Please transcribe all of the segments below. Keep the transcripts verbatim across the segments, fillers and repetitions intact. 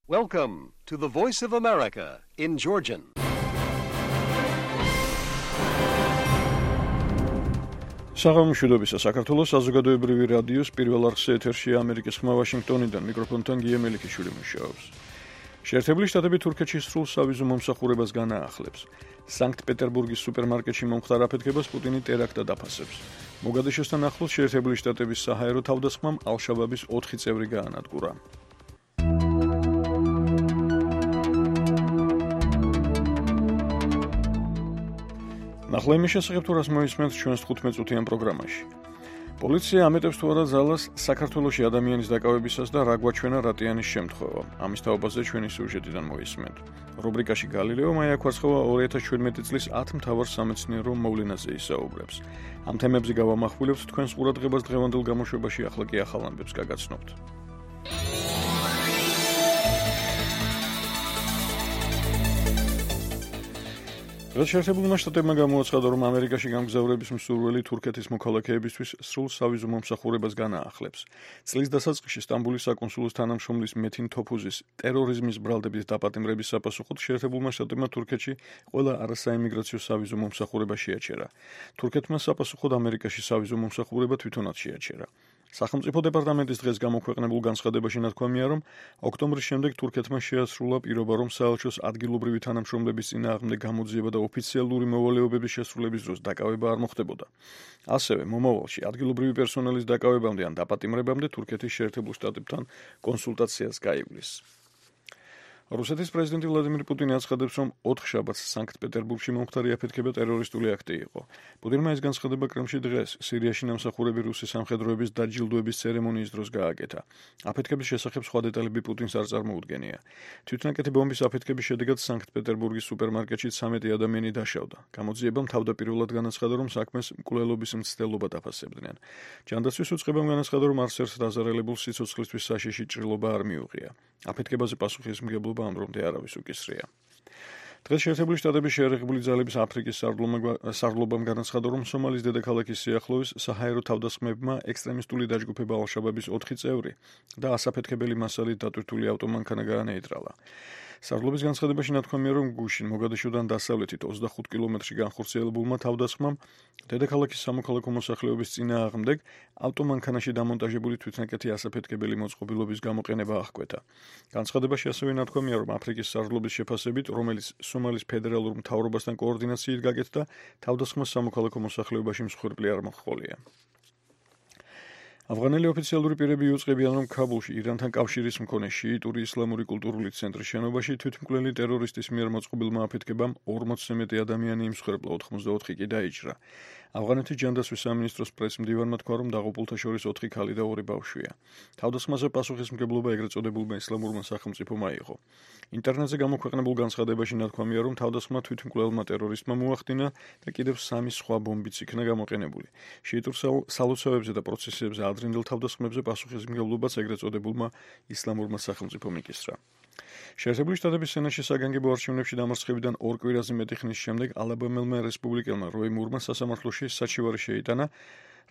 Welcome to the Voice of America in Georgian. საღამოშვიდობისა საქართველოს საზოგადოებრივი რადიოს პირველ არხზე ეთერშია ამერიკის ხმა ვაშინგტონიდან მიკროფონთან გია მელიქიშვილი მუშაობს. შეერთებული შტატები თურქეთში სრულ სავიზო მომსახურებას განაახლებს. სანქტ-პეტერბურგის სუპერმარკეტში მომხდარ აფეთქებას პუტინი ტერაქტად აფასებს. მოგადიშოსთან ახლოს შეერთებული შტატების საჰაერო თავდასხმამ ალ-შაბაბის ოთხი წევრი გაანადგურა. ნახლა იმის შესახებ თუ რას მოისმენთ ჩვენს თხუთმეტ წუთიან პროგრამაში. პოლიცია ამეტებს თუ არა ძალას საქართველოში ადამიანის დაკავებისას და რა გვაჩვენა რატიანის შემთხვევა. ამის თაობაზე ჩვენი სიუჟეტიდან მოისმენთ. რუბრიკაში გალილეო მაიაქვარცხოვა ორი ათას შვიდმეტი წლის ათ მთავარ სამეცნიერო მოვლენაზე ისაუბრებს. ამ თემებზე გავამახვილებთ თქვენს ყურადღებას დღევანდელ გამოშვებაში, ახლა კი ახალ ამბებს გაგაცნობთ. დღეს შეერთებულმა შტატებმა გამოაცხადა, რომ ამერიკაში გამგზავრების მსურველი თურქეთის მოქალაქეებისთვის სრულ სავიზო მომსახურებას განაახლებს. წლის დასაწყისში სტამბოლის საკონსულოს თანამშრომლის მეთინ თოფუზის ტერორიზმის ბრალდებით დაპატიმრების საპასუხოდ შეერთებულმა შტატებმა თურქეთში ყველა არასაიმიგრაციო სავიზო მომსახურება შეაჩერა. თურქეთმა საპასუხოდ ამერიკაში სავიზო მომსახურება თვითონაც შეაჩერა. სახელმწიფო დეპარტამენტის დღეს გამოქვეყნებულ განცხადებაში ნათქვამია, რომ ოქტომბრის შემდეგ თურქეთმა შეასრულა პირობა, რომ საელჩოს ადგილობრივი თანამშრომლების წინააღმდეგ გამოძიება და ოფიციალური მოვალეობების შესრულების დროს დაკავება არ მოხდებოდა. ასევე მომავალში ადგილობრივი პერსონალის დაკავებამდე ან დაპატიმრებამდე თურქეთის შეერთებულ შტატებთან კონსულტაციას გაივლის. რუსეთის პრეზიდენტი ვლადიმირ პუტინი აცხადებს, რომ ოთხშაბათს სანქტ-პეტერბურგში მომხდარი აფეთქება ტერორისტული აქტი იყო. პუტინმა ეს განცხადება კრემლში დღეს სირიაში ნამსახურები რუსი სამხედროების დაჯილდოების ცერემონიის დროს გააკეთა. აფეთქების შესახებ სხვა დეტალები პუტინს არ წარმოუდგენია. თვითნაკეთი ბომბის აფეთქების შედეგად სანქტ-პეტერბურგის სუპერმარკეტში ცამეტი ადამიანი დაშავდა. გამოძიებამ თავდაპირველად განაცხადა, რომ საქმეს მკვლელობის მცდელობად აფასებდნენ. ჯანდაცვის უწყებამ განაცხადა, რომ არც ერთ დაზარალებულს სიცოცხლისთვის საშიში ჭრილობა არ მიუღია. აფეთქებაზე პასუხისმგებლობა ამ რომდე არავის უკისრია. დღეს შეერთებული შტატების შეერაღებული ძალების აფრიკის სარდლობამ განაცხადა, რომ სომალის დედაქალაქის სიახლოვეს საჰაერო თავდასხმებმა ექსტრემისტული დაჯგუფება ალ-შაბაბის ოთხი წევრი და ასაფეთქებელი მასალით დატვირთული ავტომანქანა გაანეიტრალა. სარდლობის განცხადებაში ნათქვამია, რომ გუშინ მოგადიშოდან დასავლეთით ოცდახუთ კილომეტრში განხორციელებულმა თავდასხმამ დედაქალაქის სამოქალაქო მოსახლეობის წინააღმდეგ ავტომანქანაში დამონტაჟებული თვითნაკეთი ასაფეთქებელი მოწყობილობის გამოყენება აღკვეთა. განცხადებაში ასევე ნათქვამია, რომ აფრიკის სარდლობის შეფასებით, რომელიც სომალის ფედერალურ მთავრობასთან კოორდინაციით გაკეთდა, თავდასხმას სამოქალაქო მოსახლეობაში მსხვერპლი არ მოჰყოლია. ავღანელი ოფიციალური პირები იუწყებიან, რომ ქაბულში ირანთან კავშირის მქონე შიიტური ისლამური კულტურული ცენტრის შენობაში თვითმკვლელი ტერორისტის მიერ მოწყობილმა აფეთქებამ ორმოცზე მეტი ადამიანი იმსხვერპლა, ოთხმოცდაოთხი კი დაიჭრა. ავღანეთის ჯანდაცვის სამინისტროს პრესმდივანმა თქვა, რომ დაღუპულთა შორის ოთხი ქალი და ორი ბავშვია. თავდასხმაზე პასუხისმგებლობა ეგრეთ წოდებულმა ისლამურმა სახელმწიფომ აიღო. ინტერნეტზე გამოქვეყნებულ განცხადებაში ნათქვამია, რომ თავდასხმა თვითმკვლელმა ტერორისტმა მოახდინა და კიდევ სამი სხვა ბომბიც იქნა გამოყენებული. შიიტურ სალოცავებზე და პროცესებზე ადრინდელ თავდასხმებზე პასუხისმგებლობაც ეგრეთ წოდებულმა ისლამურმა სახელმწიფომ იკისრა. შეერთებული შტატების სენატში საგანგებო არჩევნებში დამარცხებიდან ორ კვირაზე მეტი ხნის შემდეგ ალაბამელმა რესპუბლიკელმა როი მურმა სასამართლოში საჩივარი შეიტანა,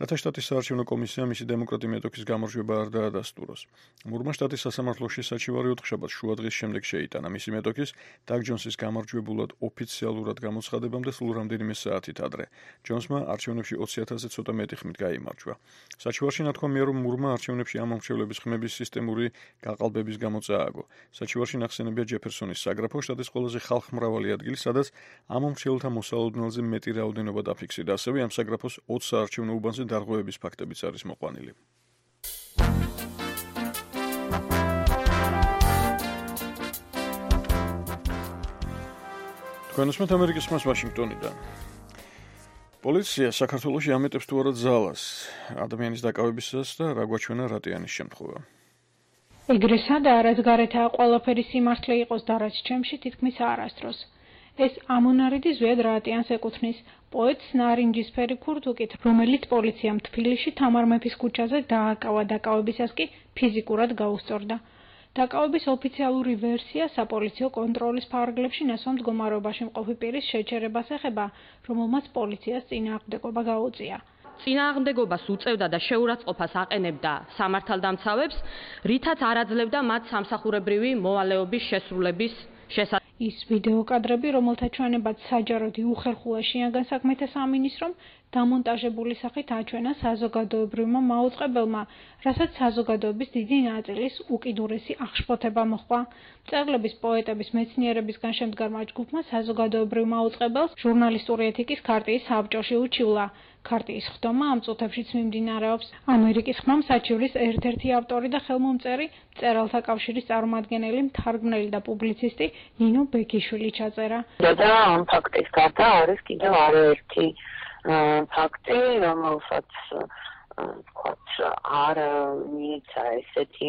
რათა შტატის საარჩევნო კომისიამ მისი დემოკრატი მეტოქის გამარჯვება არ დაადასტუროს. მურმა შტატის სასამართლოში საჩივარი ოთხშაბათს შუადღის შემდეგ შეიტანა მისი მეტოქის დაგ ჯონსის გამარჯვებულად ოფიციალურად გამოცხადებამდე სულ რამდენიმე საათით ადრე. ჯონსმა არჩევნებში ოცი ათასზე ცოტა მეტი ხმით გაიმარჯვა. საჩივარში ნათქვამია, რომ მურმა არჩევნებში ამომრჩევლების ხმების სისტემური გაყალბების გამო წააგო. საჩივარში ნახსენებია ჯეფერსონის საგრაფო, შტატის ყველაზე ხალხმრავალი ადგილი, სადაც ამომრჩევლთა მოსალოდნელზე მეტი რაოდენობა დაფიქსირდა. ასევე ამ საგრაფოს ოცი საარჩევნო უბანზე დარღვევების ფაქტებიც არის მოყვანილი. თქვენ უსმენთ ამერიკის ხმას ვაშინგტონიდან. პოლიცია საქართველოში ამეტებს თუ არა ძალას ადამიანის დაკავებისას და რა გვაჩვენა რატიანის შემთხვევა. ეგრესა და რაც გარეთაა ყველაფერი სიმართლე იყოს და რაც ჩემში თითქმის არასდროს. ეს ამონარიდი ზვიად რატიანს ეკუთვნის, პოეტს ნარინჯისფერი ქურთუკით, რომელიც პოლიციამ თბილისში თამარ მეფის ქუჩაზე დააკავა, დაკავებისას კი ფიზიკურად გაუსწორდა. დაკავების ოფიციალური ვერსია საპოლიციო კონტროლის ფარგლებში ნასვამ მდგომარეობაში მყოფი პირის შეჩერებას ეხება, რომელმაც პოლიციას წინააღმდეგობა გაუწია. წინააღმდეგობას უწევდა და შეურაცხყოფას აყენებდა სამართალდამცავებს, რითაც არ აძლევდა მათ სამსახურებრივი მოვალეობის შესრულების შესაძლებლობას. ის ვიდეო კადრები, რომელთა ჩვენებაც საჯაროდ იუხერხულა შინაგან საქმეთა სამინისტრომ, დამონტაჟებული სახით აჩვენა საზოგადოებრივმა მაუწყებელმა, რასაც საზოგადოების დიდი ნაწილის უკიდურესი აღშფოთება მოჰყვა. მწერლების, პოეტების, მეცნიერებისგან შემდგარმა ჯგუფმა საზოგადოებრივ მაუწყებელს ჟურნალისტური ეთიკის ქარტიის საბჭოში უჩივლა. ქარტიის ხდომა ამ წუთებშიც მიმდინარეობს. ამერიკის ხმამ საჩივრის ერთ-ერთი ავტორი და ხელმომწერი, მწერალთა კავშირის წარმომადგენელი, მთარგმნელი და პუბლიცისტი ნინო ბეკიშვილი ჩაწერა. და ამ ფაქტის გარდა არის კიდევ არაერთი ფაქტი, რომელსაც თქვათ არ მიეცა ესეთი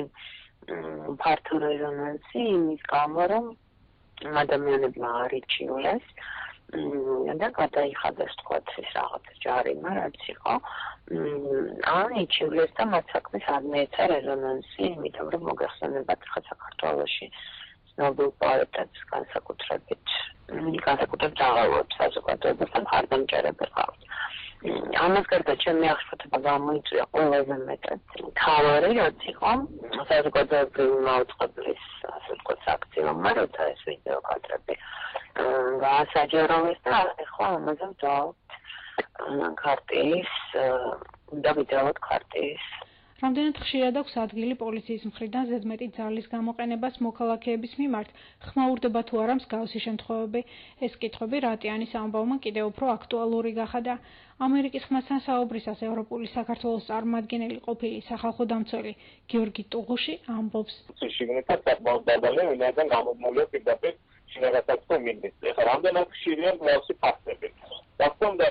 ფართო რეზონანსი იმის გამო, რომ ადამიანებმა არ იჩივლეს და გადაიხადეს თქვათ ეს რაღაც ჯარიმა, რაც იყო. ან იჩივლეს და მათ საქმეს არ მიეცა რეზონანსი, იმიტომ რომ მოგეხსენებათ, ხა საქართველოში ცნობილ პოეტებს განსაკუთრებით განსაკუთრებით აღარვებს საზოგადოებასთან მხარდამჭერები ყავთ. ამას გარდა ჩემი აღშფოთება გამოიწვია ყველაზე მეტად თავარი, რაც იყო საზოგადოებრივი მაუწყებლის ასე ვთქვათ საქციელმა, როცა ეს ვიდეო კადრები გაასაჯაროვეს და ახლა ამაზე ვდავთ ქარტიის და ვიდეოთ ქარტიის. რამდენად ხშირად აქვს ადგილი პოლიციის მხრიდან ზედმეტი ძალის გამოყენებას მოქალაქეების მიმართ, ხმაურდება თუ არა მსგავსი შემთხვევები. ეს კითხვები რატიანის ამბავმა კიდევ უფრო აქტუალური გახადა. ამერიკის ხმასთან საუბრისას ევროპული საქართველოს წარმომადგენელი ყოფილი სახალხო დამცველი გიორგი ტუღუში ამბობს. შიგნითაც საკმაოდ დაბალი, ვინაიდან გამომულია პირდაპირ შინაგან საქმეთა მინისტრი. ეხლა რამდენად ხშირია მსგავსი ფაქტები. დასწონდა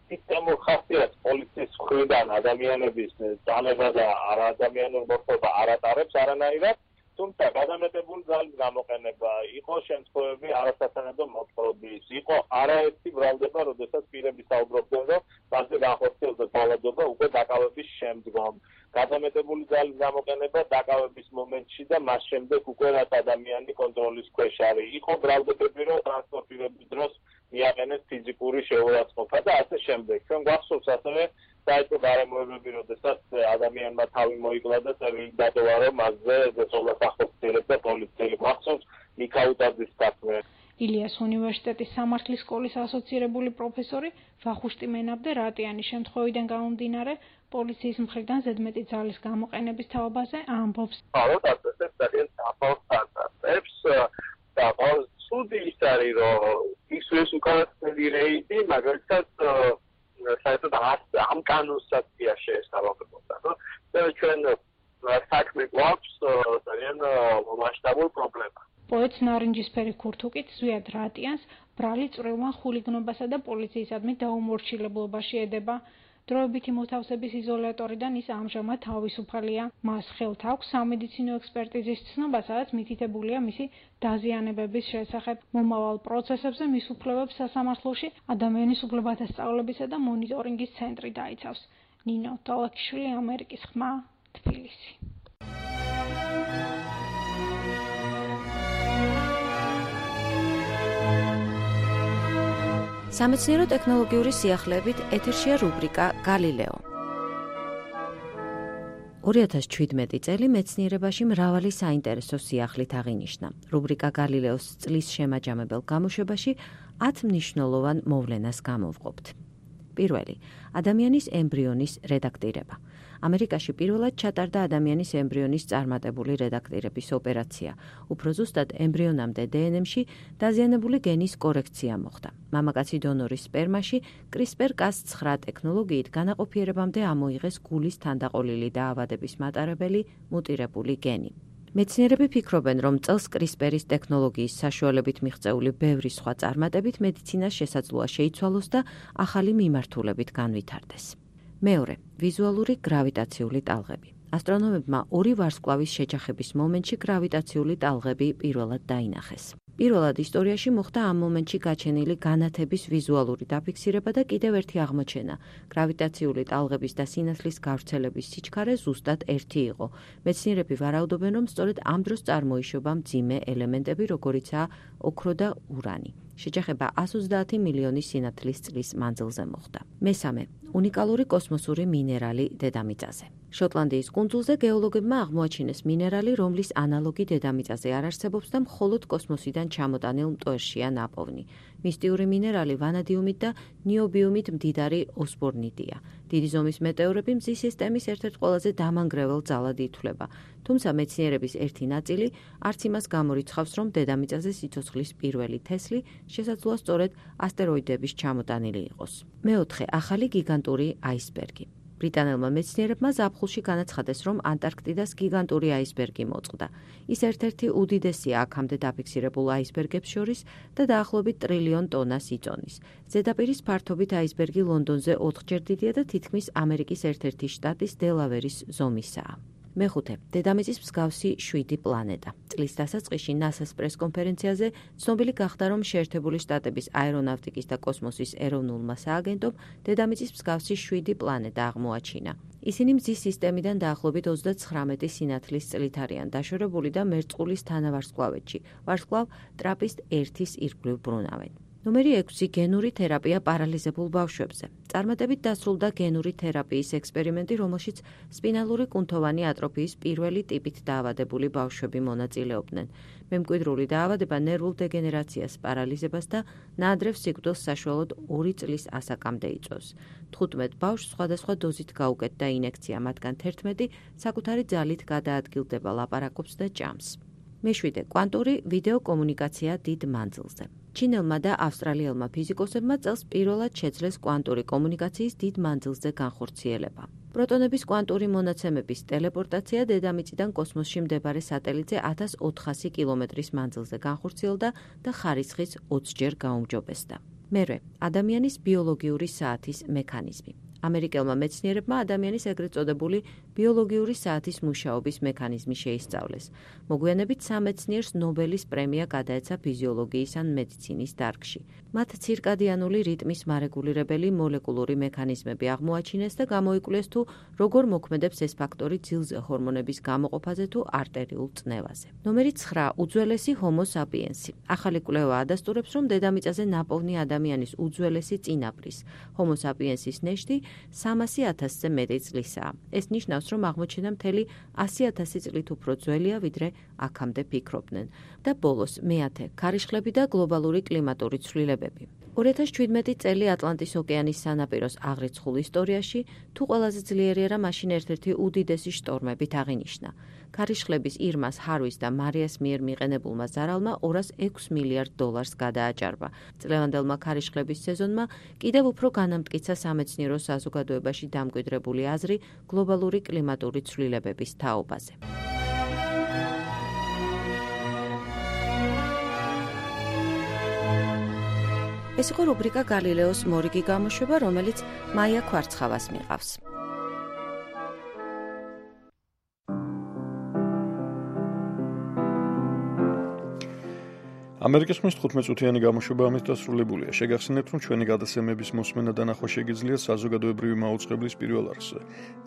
სისტემურ ხასიათს პოლიციის მხრიდან ადამიანების ძალება და არაადამიანური მორთულობა არ ატარებს არანაირად, თუმცა გადამეტებული ძალის გამოყენება, იყო შემთხვევები არასათანადო მოთხრობის, იყო არაერთი ბრალდება, როდესაც პირები საუბრობდნენ, რომ მასზე განხორციელდა ძალადობა უკვე დაკავების შემდგომ. გადამეტებული ძალის გამოყენება დაკავების მომენტში და მას შემდეგ უკვე რაც ადამიანი კონტროლის ქვეშ არის. იყო ბრალდებები, რომ ტრანსპორტირების დროს მიაყენეს ფიზიკური შეურაცხყოფა და ასე შემდეგ. ჩვენ გვახსოვს ასევე საერთო გარემოებები, როდესაც ადამიანმა თავი მოიკლა და წერილი დატოვა, რომ მასზე ზეწოლას ახორციელებს და პოლიციელი. გვახსოვს მიქაუტაძის საქმე. ილიას უნივერსიტეტის სამართლის სკოლის ასოცირებული პროფესორი ვახუშტი მენაბდე რატიანის შემთხვევიდან გამომდინარე პოლიციის მხრიდან ზედმეტი ძალის გამოყენების თაობაზე ამბობს. ალბათ ასეც ძალიან საფრთხეს და სუდი ის არის, რომ ის ეს უკანასკნელი რეიდი, მაგალითად საერთოდ ამ კანონსაც შეესაბამებოდა. და ჩვენ საქმე გვაქვს ძალიან მასშტაბური პრობლემა. პოეტ ნარინჯისფერი ქურთუკით ზვიად რატიანს ბრალი წვრილმა ხულიგნობასა და პოლიციისადმი დაუმორჩილებლობაში ედება. დროებითი მოთავსების იზოლატორიდან ის ამჟამად თავისუფალია. მას ხელთ აქვს სამედიცინო ექსპერტიზის ცნობა, სადაც მითითებულია მისი დაზიანებების შესახებ. მომავალ პროცესებზე მის უფლებებს სასამართლოში ადამიანის უფლებათა სწავლებისა და მონიტორინგის ცენტრი დაიცავს. ნინო ტოლაკიშვილი, ამერიკის ხმა, თბილისი. სამეცნიერო ტექნოლოგიური სიახლეებით ეთერშია რუბრიკა გალილეო. ორი ათას ჩვიდმეტი წელი მეცნიერებაში მრავალი საინტერესო სიახლით აღინიშნა. რუბრიკა გალილეოს წლის შემაჯამებელ გამოშვებაში ათ მნიშვნელოვან მოვლენას გამოვყოფთ. პირველი, ადამიანის ემბრიონის რედაქტირება. ამერიკაში პირველად ჩატარდა ადამიანის ემბრიონის წარმატებული რედაქტირების ოპერაცია. უფრო ზუსტად, ემბრიონამდე დე ენ ემ-ში დაზიანებული გენის კორექცია მოხდა. მამაკაცი დონორის სპერმაში კრისპერ კას ცხრა ტექნოლოგიით განაყოფიერებამდე ამოიღეს გულის თანდაყოლილი დაავადების მატარებელი მუტირებული გენი. მეცნიერები ფიქრობენ, რომ წელს კრისპერის ტექნოლოგიის საშუალებით მიღწეული ბევრი სხვა წარმატებით მედიცინას შესაძლოა შეიცვალოს და ახალი მიმართულებით განვითარდეს. მეორე, ვიზუალური გრავიტაციული ტალღები. ასტრონომებმა ორი ვარსკვლავის შეჯახების მომენტში გრავიტაციული ტალღები პირველად დაინახეს. პირველად ისტორიაში მოხდა ამ მომენტში გაჩენილი განათების ვიზუალური დაფიქსირება და კიდევ ერთი აღმოჩენა. გრავიტაციული ტალღების და სინათლის გავრცელების სიჩქარე ზუსტად ერთი იყო. მეცნიერები ვარაუდობენ, რომ სწორედ ამ დროს წარმოიშობა მძიმე ელემენტები, როგორიცაა ოქრო და ურანი. შეჯახება εκατს ოცდაათი მილიონი სინათლის წლის მანძილზე მოხდა. მესამე, უნიკალური კოსმოსური მინერალი დედამიწაზე. შოტლანდიის კუნძულზე გეოლოგებმა აღმოაჩინეს მინერალი, რომლის ანალოგი დედამიწაზე არ არსებობს და მხოლოდ კოსმოსიდან ჩამოტანილ მტვერშია ნაპოვნი. მისტიური მინერალი ვანადიუმით და ნიობიუმით მდიდარი ოსბორნიდია. დიდი ზომის მეტეორები მზის სისტემის ერთ-ერთ ყველაზე დამანგრევალ ძალად ითვლება. თუმცა მეცნიერების ერთი ნაწილი არც იმას გამორიცხავს, რომ დედამიწაზე სიცოცხლის პირველი თესლი შესაძლოა სწორედ ასტეროიდების ჩამოტანილი იყოს. მეოთხე, ახალი გიგანტური აისბერგი. ბრიტანელმა მეცნიერებმა ზაფხულში განაცხადეს, რომ ანტარქტიდას გიგანტური აისბერგი მოწყდა. ის ერთ-ერთი უდიდესია აქამდე დაფიქსირებულ აისბერგებს შორის და დაახლოებით ტრილიონ ტონას იწონის. ზედაპირის ფართობით აისბერგი ლონდონზე ოთხჯერ დიდია და თითქმის ამერიკის ერთ-ერთი შტატის დელავერის ზომისაა. მეხუთე, დედამიწის მსგავსი შვიდი პლანეტა. წლის დასაწყისში ნასას პრესკონფერენციაზე ცნობილი გახდა, რომ შეერთებული შტატების აერონავტიკის და კოსმოსის ეროვნულმა სააგენტომ დედამიწის მსგავსი შვიდი პლანეტა აღმოაჩინა. ისინი მზის სისტემიდან დაახლოებით ოცდაცხრამეტი სინათლის წლით არიან დაშორებული და მერწყულის თანავარსკვლავედში, ვარსკვლავ ტრაპისტ ერთის ირგვლივ ბრუნავენ. ნომერი ექვსი, გენური თერაპია პარალიზებულ ბავშვებზე. წარმატებით დასრულდა გენური თერაპიის ექსპერიმენტი, რომელშიც სპინალური კუნთოვანი ატროფიის პირველი ტიპით დაავადებული ბავშვები მონაწილეობდნენ. მემკვიდრული დაავადება ნერვულ დეგენერაციას, პარალიზებას და ნაადრევ სიკვდილს საშუალოდ ორი წლის ასაკამდე იწვევს. თხუთმეტ ბავშვს სხვადასხვა დოზით გაუკეთდა ინექცია, მათგან თერთმეტი საკუთარი ძალით გადაადგილდება, ლაპარაკობს და ჭამს. მეშვიდე, კვანტური ვიდეო კომუნიკაცია დიდ მანძილზე. ჩინელმა და ავსტრალიელმა ფიზიკოსებმა წელს პირველად შეძლეს კვანტური კომუნიკაციის დიდ მანძილზე განხორციელება. პროტონების კვანტური მონაცემების ტელეპორტაცია დედამიწიდან კოსმოსში მდებარე სატელიტზე ათას ოთხასი კილომეტრის მანძილზე განხორციელდა და ხარისხის ოცჯერ გაუმჯობესდა. მერვე, ადამიანის ბიოლოგიური საათის მექანიზმი. ამერიკელმა მეცნიერებმა ადამიანის ეგრეთ წოდებული ბიოლოგიური საათის მუშაობის მექანიზმი შეისწავლეს. მოგვიანებით სამეცნიერს ნობელის პრემია გადაეცა ფიზიოლოგიის ან მედიცინის დარგში. მათ ცირკადიანული რიტმის მარეგულირებელი მოლეკულური მექანიზმები აღმოაჩინეს და გამოიკვლეს თუ როგორ მოქმედებს ეს ფაქტორი ძილზე ჰორმონების გამოყოფაზე თუ არტერიულ წნევაზე. ნომერი ცხრა, უძველესი ჰომო საპიენსი. ახალი კვლევა ადასტურებს, რომ დედამიწაზე ნაპოვნი ადამიანის უძველესი წინაპრის, ჰომო საპიენსის ნეშტი სამასი ათასზე მეტი წლისაა. ეს ნიშნავს, რომ აღმოჩენა მთელი ასი ათასი წლით უფრო ძველია, ვიდრე აქამდე ფიქრობდნენ. და ბოლოს, მეათე, ქარიშხლები და გლობალური კლიმატური ცვლილებები. ორი ათას შვიდმეტი წელი ატლანტის ოკეანის სანაპიროს აღრიცხულ ისტორიაში, თუ ყველაზე ძლიერი არა, მაშინ ერთ-ერთი უდიდესი შტორმებით აღინიშნა. ქარიშხლების ირმას, ჰარვის და მარიას მიერ მიყენებულმა ზარალმა ორას ექვს მილიარდ დოლარს გადააჭარბა. წლევანდელმა ქარიშხლების სეზონმა კიდევ უფრო განამტკიცა სამეცნიერო საზოგადოებაში დამკვიდრებული აზრი გლობალური კლიმატური ცვლილებების თაობაზე. ეს იყო რუბრიკა გალილეოს მორიგი გამოშვება, რომელიც მაია ქვარცხავას მიყავს. ამერიკის ხმის თხუთმეტწუთიანი გამოშვება ამით დასრულებულია. შეგახსენებთ, რომ ჩვენი გადაცემების მოსმენა და ნახვა შეგიძლიათ საზოგადოებრივი მაუწყებლის პირველ არხზე.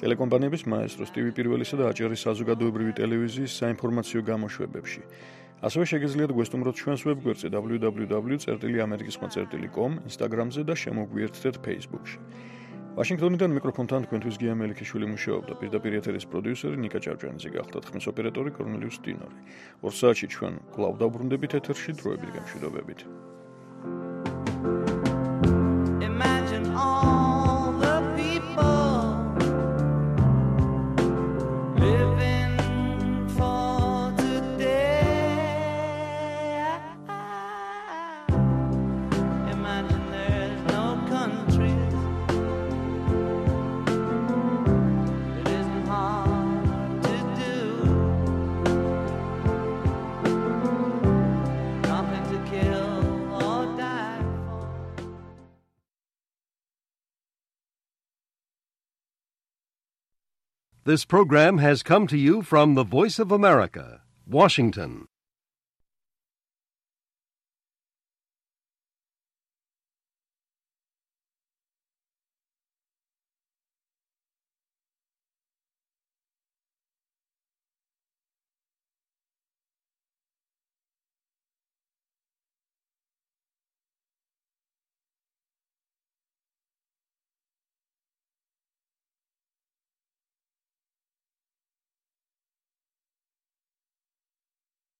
ტელეკომპანიების მაესტროს, ტივი პირველისა და აჭარის საზოგადოებრივი ტელევიზიის საინფორმაციო გამოშვებებში. ასევე შეგიძლიათ გვესტუმროთ ჩვენს ვებგვერდზე დაბლიუ დაბლიუ დაბლიუ წერტილი ამერიკის ხმა წერტილი კომ, ინსტაგრამზე და შემოგვიერთდეთ ფეისბუქში. ვაშინგტონიდან მიკროფონთან თქვენთვის გია მელიქიშვილი მუშაობდა. პირდაპირ ეთერის პროდიუსერი ნიკა ჭავჭანიძე გახდათ, ხმის ოპერატორი კორნელიუს ტინორი. ორ საათში ჩვენ კვლავ დავბრუნდებით ეთერში დროებით გამშვიდობებით. This program has come to you from the Voice of America, Washington.